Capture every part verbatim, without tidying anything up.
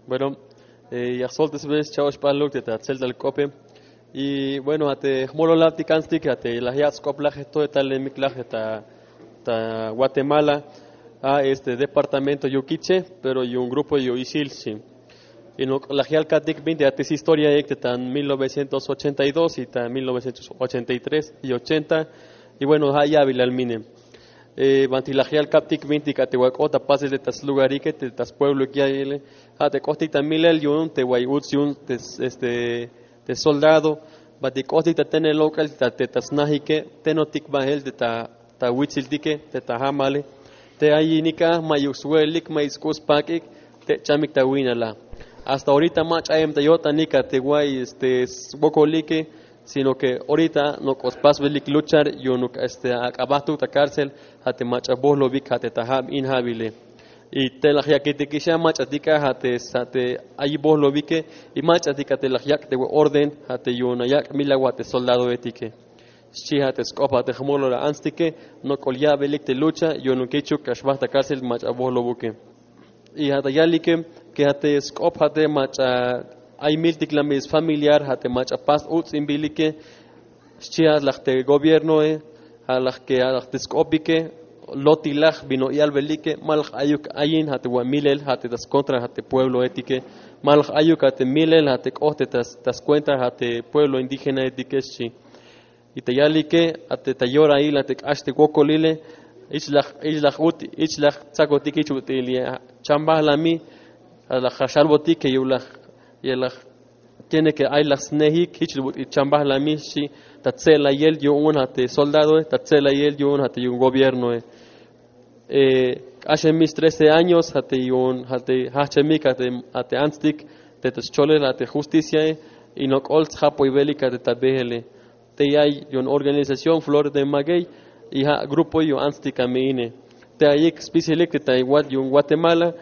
Bueno, ya jsoltesbe scha'oxp'aluk te ta tseltal k'ope. Y bueno, ja' te jmololabtik antstik, ja' te laj yak' sk'oplaj to talemik laj ta ta Guatemala, a este departamento yu'un Quiché, pero yu'un grupo yu'un Ixil xchi. Y nok' laj yal ka'tik bintik a te historiaik te ta mil novecientos ochenta y dos y ta mil novecientos ochenta y tres y ochenta. Y bueno, ja' ya'bilal mine. Banti laj yal ka'tik bintik a te wa k'ot ta pasel te ta slugarike, te ta spuebloik ya'iyele, ja' te k'otik ta milel yu'un te way uts yu'un te este te soldado, banti k'otik ta tenel lok'el te ta snajike, tenotik bael te ta ta witsiltike, te ta jamale. Te ayinik a ma'yuk swe'elik, ma'yuk sk'u' spak'ik te chamik ta wi'nala. Hasta orita mach'a ay me ta yo'tanik a te way este swokolike, sino que orita nok'o spasbelik luchar yu'unuk este ak'abajtuk ta cárcel, ja' te mach'a bojlobik ja' te ta jab in ja'bile. Y te laj yakitikix a mach'atik a ja' te ja' te ay bojlobike, y mach'atik a te laj yak' te orden ja' te yu'un ayak' milaw a te soldadoetike. Xchi ja' te sk'op a te jmolol a antstike, nok'ol ya'belik te lucha yu'unuk jichuk k'ax bajt ta cárcel mach'a bojlobuke. Y ja' ta yalike que ja' te sk'op ja' te mach'a ay miltiklamil sfamiliar ja' te mach'a pas uts'inbilike. Xchi ja' laj te gobiernoe, ja' laj que ja' laj te sk'opike, lotilaj bin no yalbelike, ma laj ayuk ayin ja' te wa milel ja' te ta skontra ja' te puebloetike, ma laj ayuk ja' te milel ja' te k'ot te ta skuenta ja' te pueblo indígenaetike xchi. Y ta yalike a te ta yorail a te k'ax te wokolile, jich laj jich laj ut jich laj tsakotik jich ut'il ya chambajlami. A laj ja' xalbotik que yu'un laj ya laj tiene que ay laj snejik jich ut'il chambajlami xchi. Ta tse'layel yu'un a te soldadoe, ta tse'layel yu'un a te yu'un gobiernoe. K'axemix trece años a te yu'un a te jajchemik a te a te antstik te ta scholel a te justiciae, y nok'ol tsjapoybelik a te ta beele. Te ay yu'un organización Flores de Maguey, y ja' grupo yu'un antstik a me ine. Te ayik spisilik te ta yu'un Guatemala,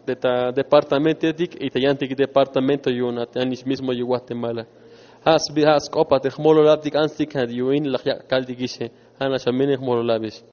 te ta departamentoetik y ta yantik departamento yu'un a te anix mismo yu'un Guatemala. Ja' sbi ja' sk'op a te jmololabtik antstik ja' yu'un in laj yak' kaltikixe. Ja' nax a me ine, jmololabix.